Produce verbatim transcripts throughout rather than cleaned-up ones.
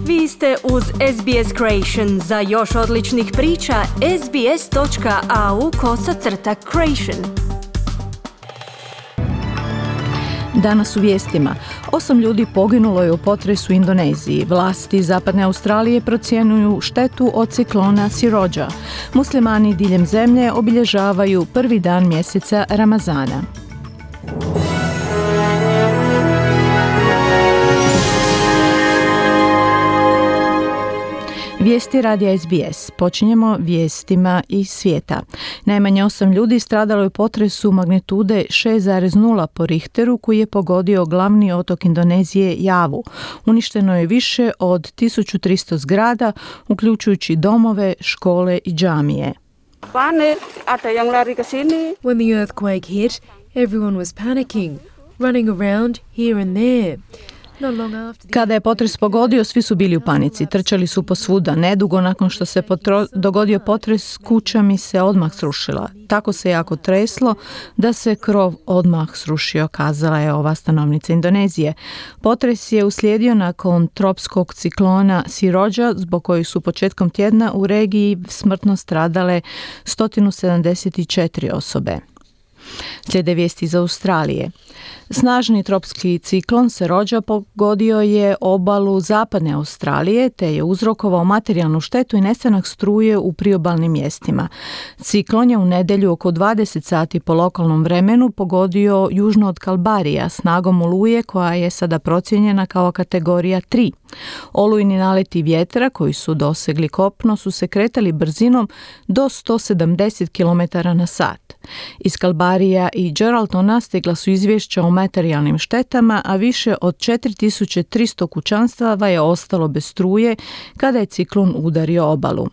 Vi ste uz S B S Creation. Za još odličnih priča, sbs.au kosacrta creation. Danas u vijestima. Osam ljudi poginulo je u potresu u Indoneziji. Vlasti Zapadne Australije procjenjuju štetu od ciklona Sirođa. Muslimani diljem zemlje obilježavaju prvi dan mjeseca Ramazana. Vijesti radija S B S. Počinjemo vijestima iz svijeta. Najmanje osam ljudi stradalo je u potresu magnitude šest zarez nula po Richteru koji je pogodio glavni otok Indonezije Javu. Uništeno je više od tisuću tristo zgrada, uključujući domove, škole i džamije. When the earthquake hit, everyone was panicking, running around here and there. Kada je potres pogodio, svi su bili u panici, trčali su posvuda. Nedugo nakon što se potro- dogodio potres, kuća mi se odmah srušila. Tako se jako treslo da se krov odmah srušio, kazala je ova stanovnica Indonezije. Potres je uslijedio nakon tropskog ciklona Sirođa, zbog kojih su početkom tjedna u regiji smrtno stradale sto sedamdeset četiri osobe. Slijede vijesti iz Australije. Snažni tropski ciklon Sirođa pogodio je obalu zapadne Australije te je uzrokovao materijalnu štetu i nestanak struje u priobalnim mjestima. Ciklon je u nedjelju oko dvadeset sati po lokalnom vremenu pogodio južno od Kalbarija snagom oluje koja je sada procijenjena kao kategorija tri. Olujni naleti vjetra koji su dosegli kopno su se kretali brzinom do sto sedamdeset kilometara na sat. Iz Kalbarija i Geraldtona stigla su izvješća o materijalnim štetama, a više od četiri tisuće tristo kućanstava je ostalo bez struje kada je ciklon udario obalu.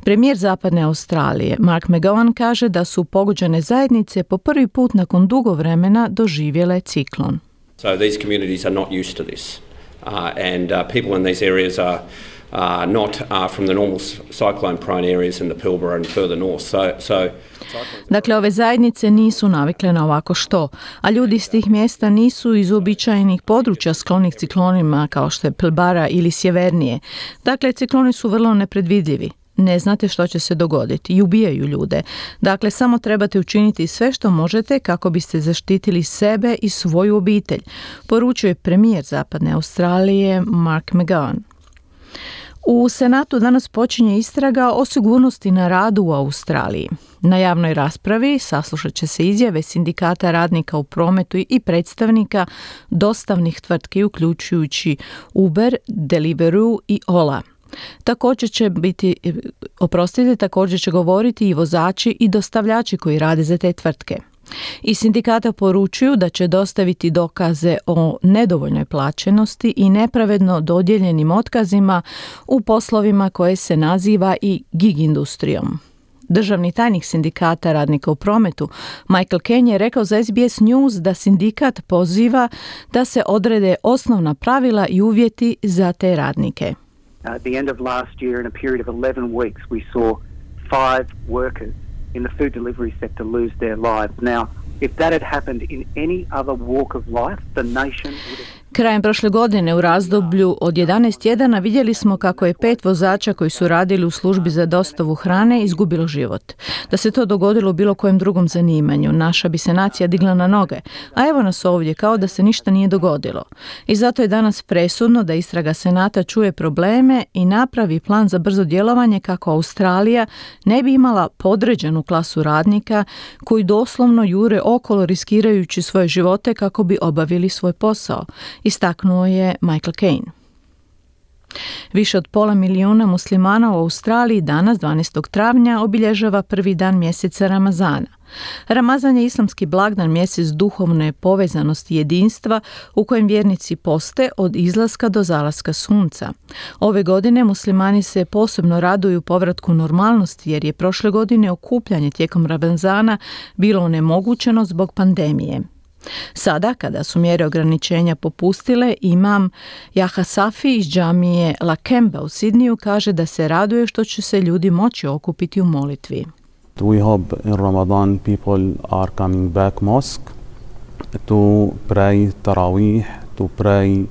Premijer Zapadne Australije Mark McGowan kaže da su pogođene zajednice po prvi put nakon dugo vremena doživjele ciklon. So these communities are not used to this. Uh, and uh, people in these areas are Uh, not uh, from the normal cyclone prone areas in the Pilbara and further north. So, so Dakle, ove zajednice nisu navikle na ovako što, a ljudi iz tih mjesta nisu iz uobičajenih područja sklonih ciklonima kao što je Pilbara ili sjevernije. Dakle, cikloni su vrlo nepredvidljivi. Ne znate što će se dogoditi i ubijaju ljude. Dakle, samo trebate učiniti sve što možete kako biste zaštitili sebe i svoju obitelj, poručuje premijer Zapadne Australije Mark McGowan. U Senatu danas počinje istraga o sigurnosti na radu u Australiji. Na javnoj raspravi saslušat će se izjave sindikata radnika u prometu i predstavnika dostavnih tvrtki uključujući Uber, Deliveroo i Ola. Također će biti, oprostite, također će govoriti i vozači i dostavljači koji rade za te tvrtke. Iz sindikata poručuju da će dostaviti dokaze o nedovoljnoj plaćenosti i nepravedno dodijeljenim otkazima u poslovima koje se naziva i gig industrijom. Državni tajnik sindikata radnika u prometu Michael Cain je rekao za S B S News da sindikat poziva da se odrede osnovna pravila i uvjeti za te radnike. At the end of last year, in a period of eleven weeks, we saw five workers in the food delivery sector lose their lives. Now, if that had happened in any other walk of life, the nation would have... Krajem prošle godine u razdoblju od jedanaest tjedana vidjeli smo kako je pet vozača koji su radili u službi za dostavu hrane izgubilo život. Da se to dogodilo u bilo kojem drugom zanimanju, naša bi se nacija digla na noge, a evo nas ovdje kao da se ništa nije dogodilo. I zato je danas presudno da istraga Senata čuje probleme i napravi plan za brzo djelovanje kako Australija ne bi imala podređenu klasu radnika koji doslovno jure okolo riskirajući svoje živote kako bi obavili svoj posao, istaknuo je Michael Cain. Više od pola milijuna muslimana u Australiji danas, dvanaestog travnja, obilježava prvi dan mjeseca Ramazana. Ramazan je islamski blagdan, mjesec duhovne povezanosti i jedinstva u kojem vjernici poste od izlaska do zalaska sunca. Ove godine muslimani se posebno raduju povratku normalnosti jer je prošle godine okupljanje tijekom Ramazana bilo onemogućeno zbog pandemije. Sada, kada su mjere ograničenja popustile, imam Jaha Safi iz džamije Lakemba u Sidniju kaže da se raduje što će se ljudi moći okupiti u molitvi. We hope in Ramadan people are coming back mosque to pray Tarawih, to pray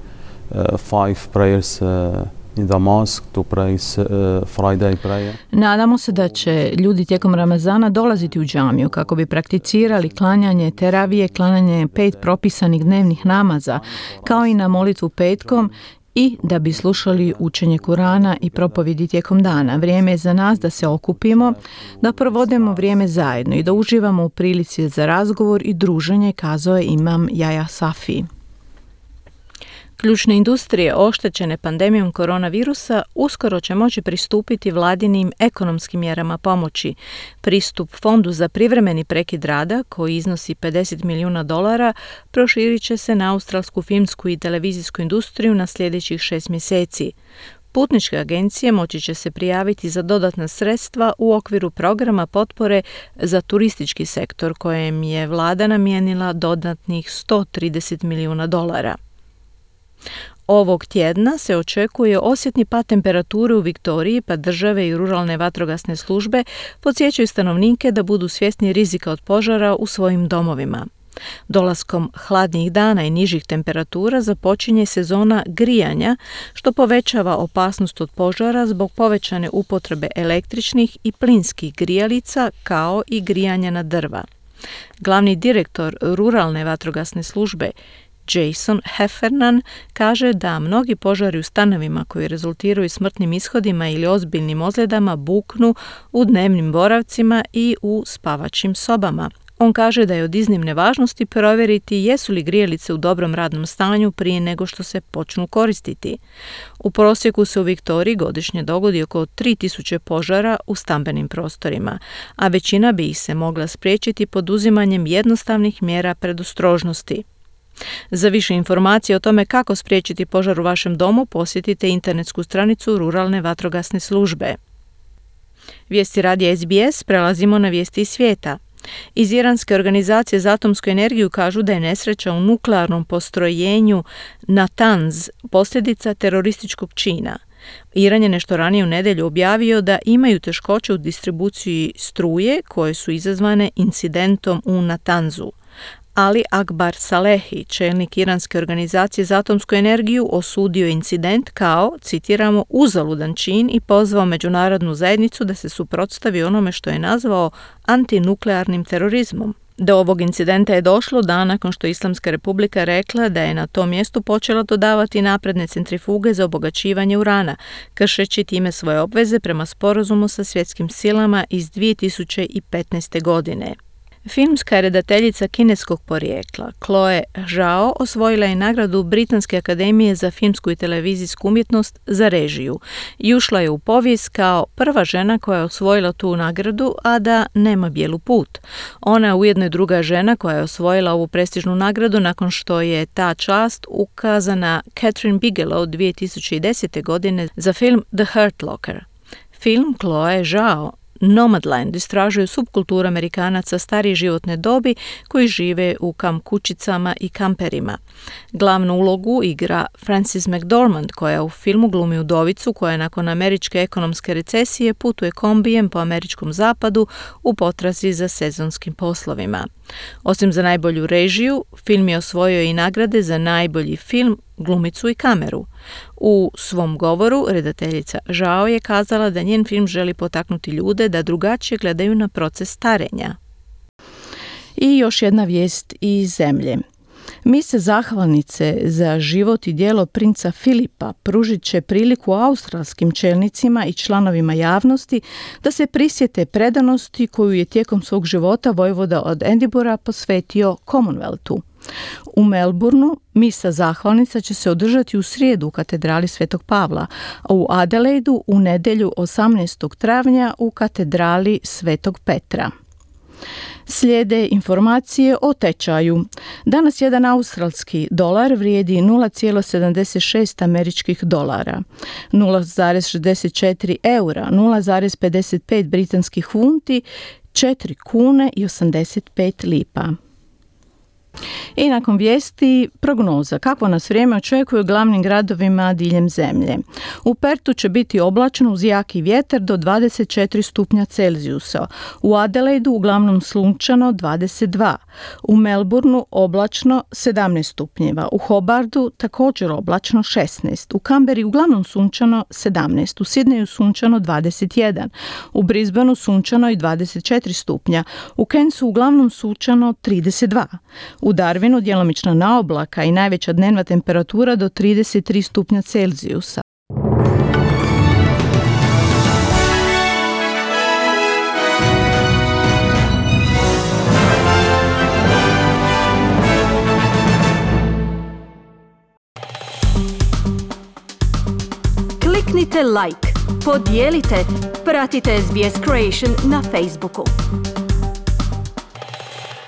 uh, five prayers uh, in the mosque to pray uh, Friday prayer. Nadamo se da će ljudi tijekom Ramazana dolaziti u džamiju kako bi prakticirali klanjanje teravije, klanjanje pet propisanih dnevnih namaza, kao i na molitvu petkom i da bi slušali učenje Kurana i propovjedi tijekom dana. Vrijeme je za nas da se okupimo, da provodimo vrijeme zajedno i da uživamo u prilici za razgovor i druženje, kazao je imam Jaja Safi. Ključne industrije oštećene pandemijom koronavirusa uskoro će moći pristupiti vladinim ekonomskim mjerama pomoći. Pristup fondu za privremeni prekid rada, koji iznosi pedeset milijuna dolara, proširit će se na australsku filmsku i televizijsku industriju na sljedećih šest mjeseci. Putničke agencije moći će se prijaviti za dodatna sredstva u okviru programa potpore za turistički sektor, kojem je vlada namijenila dodatnih sto trideset milijuna dolara. Ovog tjedna se očekuje osjetni pad temperature u Viktoriji, pa države i ruralne vatrogasne službe podsjećaju stanovnike da budu svjesni rizika od požara u svojim domovima. Dolaskom hladnijih dana i nižih temperatura započinje sezona grijanja, što povećava opasnost od požara zbog povećane upotrebe električnih i plinskih grijalica, kao i grijanja na drva. Glavni direktor ruralne vatrogasne službe Jason Heffernan kaže da mnogi požari u stanovima koji rezultiraju smrtnim ishodima ili ozbiljnim ozljedama buknu u dnevnim boravcima i u spavačim sobama. On kaže da je od iznimne važnosti provjeriti jesu li grijalice u dobrom radnom stanju prije nego što se počnu koristiti. U prosjeku se u Viktoriji godišnje dogodi oko tri tisuće požara u stambenim prostorima, a većina bi ih se mogla spriječiti poduzimanjem jednostavnih mjera predostrožnosti. Za više informacije o tome kako spriječiti požar u vašem domu, posjetite internetsku stranicu Ruralne vatrogasne službe. Vijesti radija S B S, prelazimo na vijesti iz svijeta. Iz Iranske organizacije za atomsku energiju kažu da je nesreća u nuklearnom postrojenju Natanz posljedica terorističkog čina. Iran je nešto ranije u nedjelju objavio da imaju teškoće u distribuciji struje koje su izazvane incidentom u Natanzu. Ali Akbar Salehi, čelnik Iranske organizacije za atomsku energiju, osudio incident kao, citiramo, uzaludan čin i pozvao međunarodnu zajednicu da se suprotstavi onome što je nazvao antinuklearnim terorizmom. Do ovog incidenta je došlo dan nakon što Islamska republika rekla da je na tom mjestu počela dodavati napredne centrifuge za obogaćivanje urana, kršeći time svoje obveze prema sporazumu sa svjetskim silama iz dvije tisuće petnaeste. godine. Filmska redateljica kineskog porijekla Chloe Zhao osvojila je nagradu Britanske akademije za filmsku i televizijsku umjetnost za režiju i ušla je u povijest kao prva žena koja je osvojila tu nagradu, a da nema bijelu put. Ona je ujedno i druga žena koja je osvojila ovu prestižnu nagradu nakon što je ta čast ukazana Catherine Bigelow dvije tisuće desete. godine za film The Hurt Locker. Film Chloe Zhao Nomadland istražuje subkulturu Amerikanaca starije životne dobi koji žive u kamp kućicama i kamperima. Glavnu ulogu igra Frances McDormand, koja u filmu glumi udovicu koja nakon američke ekonomske recesije putuje kombijem po američkom zapadu u potrazi za sezonskim poslovima. Osim za najbolju režiju, film je osvojio i nagrade za najbolji film, glumicu i kameru. U svom govoru redateljica Zhao je kazala da njen film želi potaknuti ljude da drugačije gledaju na proces starenja. I još jedna vijest iz zemlje. Mise zahvalnice za život i djelo princa Filipa pružit će priliku australskim čelnicima i članovima javnosti da se prisjete predanosti koju je tijekom svog života vojvoda od Edinburgha posvetio Commonwealthu. U Melbourneu misa zahvalnica će se održati u srijedu u katedrali Svetog Pavla, a u Adelaidu u nedjelju osamnaestog travnja u katedrali Svetog Petra. Slijede informacije o tečaju. Danas jedan australski dolar vrijedi nula zarez sedamdeset šest američkih dolara, nula zarez šezdeset četiri eura, nula zarez pedeset pet britanskih funti, četiri kune i osamdeset pet lipa. I nakon vijesti prognoza. Kakvo nas vrijeme očekuje u glavnim gradovima diljem zemlje? U Pertu će biti oblačno uz jaki vjetar do dvadeset četiri stupnja Celzijusa. U Adelaidu uglavnom sunčano dvadeset dva. U Melbourneu oblačno sedamnaest stupnjeva. U Hobartu također oblačno šesnaest. U Canberri uglavnom sunčano sedamnaest. U Sidneju sunčano dvadeset jedan. U Brisbaneu sunčano i dvadeset četiri stupnja. U Cairnsu uglavnom sunčano trideset dva. U Darwinu djelomično na oblaka i najveća dnevna temperatura do trideset tri stupnja Celzijusa. Kliknite like, podijelite, pratite S B S Creation na Facebooku.